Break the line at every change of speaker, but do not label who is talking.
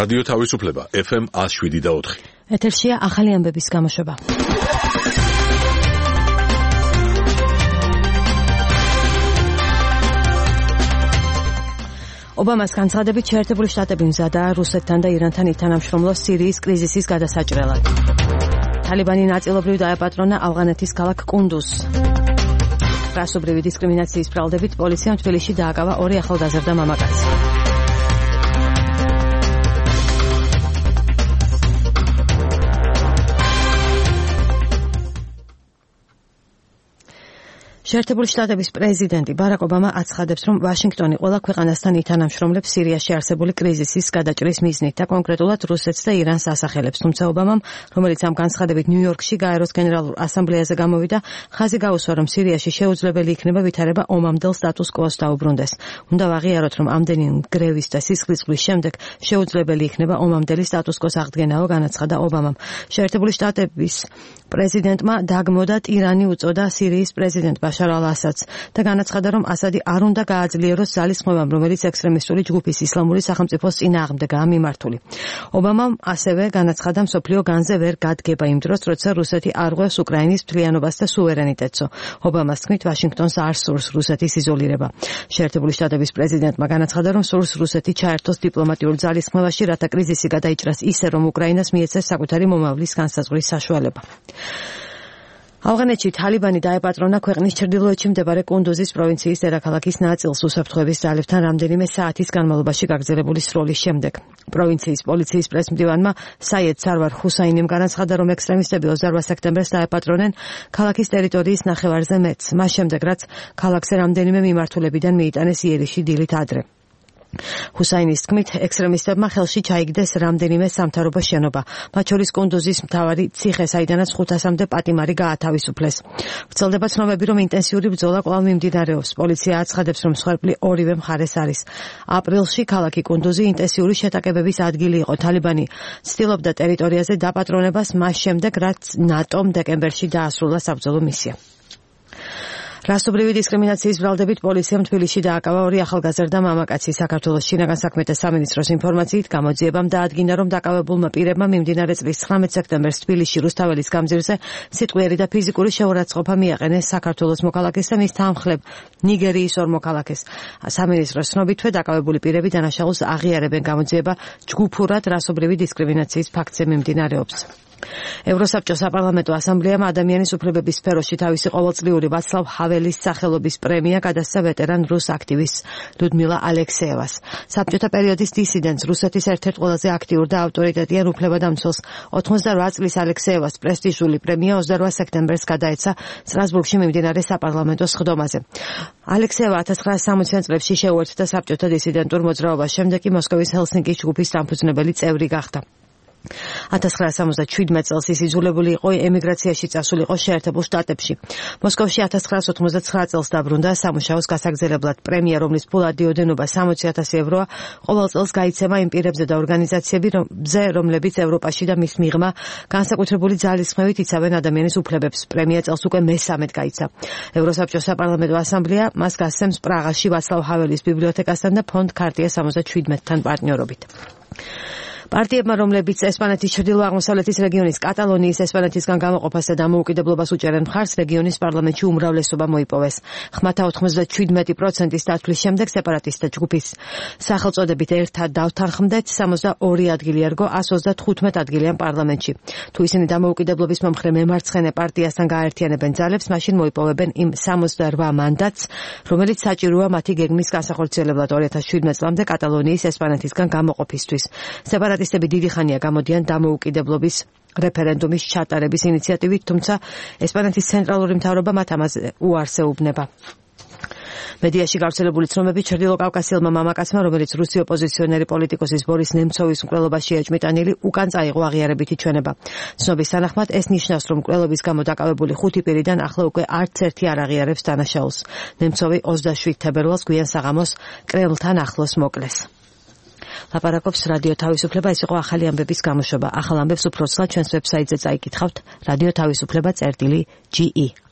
რადიო თავისუფლება FM 107.4.
ეთერშია ახალი ამბების გამოშვება. ობამას განცხადებით შეერთებული შტატები მზადაა რუსეთთან და ირანთან ითანამშრომლოს სირიის კრიზისის გადასაჭრელად. თალიბანი ნაწილობრივ დაეპატრონა ავღანეთის ქალაქ კუნდუზს. რასობრივი დისკრიმინაციის ბრალდებით პოლიციამ თბილისში დააკავა 2 ახალგაზრდა მამაკაცი. შეერთებული შტატების პრეზიდენტი ბარაკ ობამა აცხადებს, რომ ვაშინგტონი ყველა ქვეყანასთან ითანამშრომლებს სირიაში არსებული კრიზისის გადაჭრის მიზნით და კონკრეტულად რუსეთს და ირანს ასახელებს. თუმცა ობამამ, რომელიც ამ განცხადებით ნიუ-იორკში გაეროს გენერალურ ასამბლეაზე გამოვიდა, ხაზი გაუსვა, რომ სირიაში შეუძლებელი იქნება ვითარება ომამდელ სტატუს კვოს დაუბრუნდეს. უნდა ვაღიაროთ, რომ ამდენი გრევის და სისხლისღვრიის შემდეგ შეუძლებელი იქნება ომამდელი სტატუს კვოს აღდგენაო, განაცხადა ობამამ. შეერთებული შტატების პრეზიდენტმა დაგმოდა ტირანი უწოდა სირიის პრეზიდენტ ბაშარ ალ-ასადს და განაცხადა, რომ ასადი არ უნდა გააძლიეროს ძალისხმევამ, რომელიც ექსტრემისტული ჯგუფის ისლამური სახელმწიფოს წინააღმდეგაა მიმართული. ობამამ ასევე განაცხადა, მსოფლიო განზე ვერ გადგება იმ დროს, როცა რუსეთი არ ღვევს უკრაინის მთლიანობას და სუვერენიტეტსო. ობამას თქმით, ვაშინგტონს არ სურს რუსეთის იზოლირება. შეერთებული შტატების პრეზიდენტმა განაცხადა, რომ სურს რუსეთი ჩაერთოს დიპლომატიურ ძალისხმევაში, რათა კრიზისი გადაიჭრას ისე, რომ უკრაინას მიეცეს საკუთარი მომავლის განსაზღვრის საშუალება. ავღანეთში თალიბანი დაეპატრონა ქვეყნის ჩრდილოეთში მდებარე კუნდუზის პროვინციის დედაქალაქის ნაწილს უსაფრთხოების ძალებთან რამდენიმე საათის განმავლობაში გაგრძელებული სროლის შემდეგ. პროვინციის პოლიციის პრესმდივანმა საიედ სარვარ ჰუსაინიმ განაცხადა, რომ ექსტრემისტები 28 სექტემბერს დაეპატრონენ ქალაქის ტერიტორიის ნახევარზე მეტს, მას შემდეგ რაც ქალაქზე რამდენიმე მიმართულებიდან მიიტანეს იერიში დილით ადრე. ჰუსაინის თქმით, ექსტრემისტებმა ხელში ჩაიგდეს რამდენიმე სამთავრობო შენობა, მათ შორის კუნდუზის მთავარი ციხე, საიდანაც 500-მდე პატიმარი გაათავისუფლეს. ვრცელდება ცნობები, რომ ინტენსიური ბრძოლა კვლავ მიმდინარეობს. პოლიცია აცხადებს, რომ მსხვერპლი ორივე მხარეს არის. აპრილში ქალაქი კუნდუზი ინტენსიური შეტაკებების ადგილი იყო. თალიბანი ცდილობდა ტერიტორიაზე დაპატრონებას მას შემდეგ, რაც ნატომ დეკემბერში დაასრულა საბრძოლო მისია. რასობრივი დისკრიმინაციის ბრალდებით პოლიციამ თბილისში დააკავა 2 ახალგაზრდა მამაკაცი. საქართველოს შინაგან საქმეთა სამინისტროს ინფორმაციით გამოძიებამ დაადგინა, რომ დაკავებულმა პირებმა მიმდინარე წლის 19 სექტემბერს თბილისში რუსთაველის გამზირზე სიტყვიერი და ფიზიკური შეურაცხყოფა მიაყენეს საქართველოს მოქალაქეს და მის თანმხლებ ნიგერიის 2 მოქალაქეს. სამინისტროს ცნობითვე დაკავებული პირები დანაშაულს აღიარებენ. გამოძიება ჯგუფურად რასობრივი დისკრიმინაციის ფაქტზე მიმდინარეობს. ევროსაბჭოს საპარლამენტო ასამბლეამ ადამიანის უფლებების სფეროში თავისი ყოველწლიური ვაცლავ ჰაველის სახელობის პრემია გადასცა ვეტერან რუს აქტივისტს ლუდმილა ალექსეევას. საბჭოთა პერიოდის დისიდენტს, რუსეთის ერთ-ერთ ყველაზე აქტიურ და ავტორიტეტიან უფლებადამცველს 88 წლის ალექსეევას პრესტიჟული პრემია 28 სექტემბერს გადაეცა სტრასბურგში მიმდინარე საპარლამენტო სხდომაზე. ალექსეევა 1960-იან წლებში შეუერთდა საბჭოთა დისიდენტურ მოძრაობას, შემდეგ კი მოსკოვის ჰელსინკის ჯგუფის დამფუძნებელი წევრი გახდა. 1977 წელს ის იძულებული იყო ემიგრაციაში წასულიყო შეერთებულ შტატებში. მოსკოვში 1989 წელს დაბრუნდა სამუშაოს გასაგრძელებლად. პრემია, რომლის ფულადი ოდენობა 60,000 ევროა, ყოველ წელს გაიცემა იმ პირებზე და ორგანიზაციებზე, რომლებიც ევროპაში და მის მიღმა განსაკუთრებული ძალისხმევით იცავენ ადამიანის უფლებებს. პრემია წელს უკვე მე-13 გაიცა. ევროსაბჭოს საპარლამენტო ასამბლეა მას გასცემს პრაღაში ვაცლავ ჰაველის ბიბლიოთეკასთან და ფონდ ქარტია 77-თან პარტნიორობით. პარტიებმა, რომლებიც ესპანეთის ჩრდილო-აღმოსავლეთის რეგიონის კატალონიის ესპანეთისგან გამოყოფას და დამოუკიდებლობას უჭერენ მხარს, რეგიონის პარლამენტში უმრავლესობა მოიპოვეს. ხმათა 97%-ის დათვლის შემდეგ სეპარატისტთა ჯგუფის სახელწოდებით ერთად დავთანხმდეთ 62 ადგილი ერგო 135 ადგილიან პარლამენტში. თუ ისინი დამოუკიდებლობის მომხრე მემარცხენე პარტიასთან გააერთიანებენ ძალებს, მაშინ მოიპოვებენ იმ 68 მანდატს, რომელიც საჭიროა მათი გეგმის განსახორციელებლად 2017 წლამდე კატალონიის ესპანეთისგან გამოყოფისთვის. სეპარატისტები დიდი ხანია გამოდიან დამოუკიდებლობის რეფერენდუმის ჩატარების ინიციატივით, თუმცა ესპანეთის ცენტრალური მთავრობა მათ ამაზე უარს ეუბნება. მედიაში გავრცელებული ცნობები ჩრდილოკავკასიელმა მამაკაცმა, რომელიც რუსი ოპოზიციონერი პოლიტიკოსის ბორის ნემცოვის მკვლელობაშია ეჭმიტანილი, უკან წაიღო აღიარებითი ჩვენება. ცნობის თანახმად ეს ნიშნავს, რომ მკვლელობის გამო დაკავებული 5 პირიდან ახლა უკვე არც ერთი არ აღიარებს დანაშაულს. ნემცოვი 27 თებერვალს გვიან საღამოს კრემლთან ახლოს მოკლეს. ლაპარაკობს რადიო თავისუფლება, ეს იყო ახალი ამბების გამოშვება. ახალ ამბებს უფრო ცალ ჩვენს ვებსაიტზე წაიკითხავთ, რადიო თავისუფლება.ge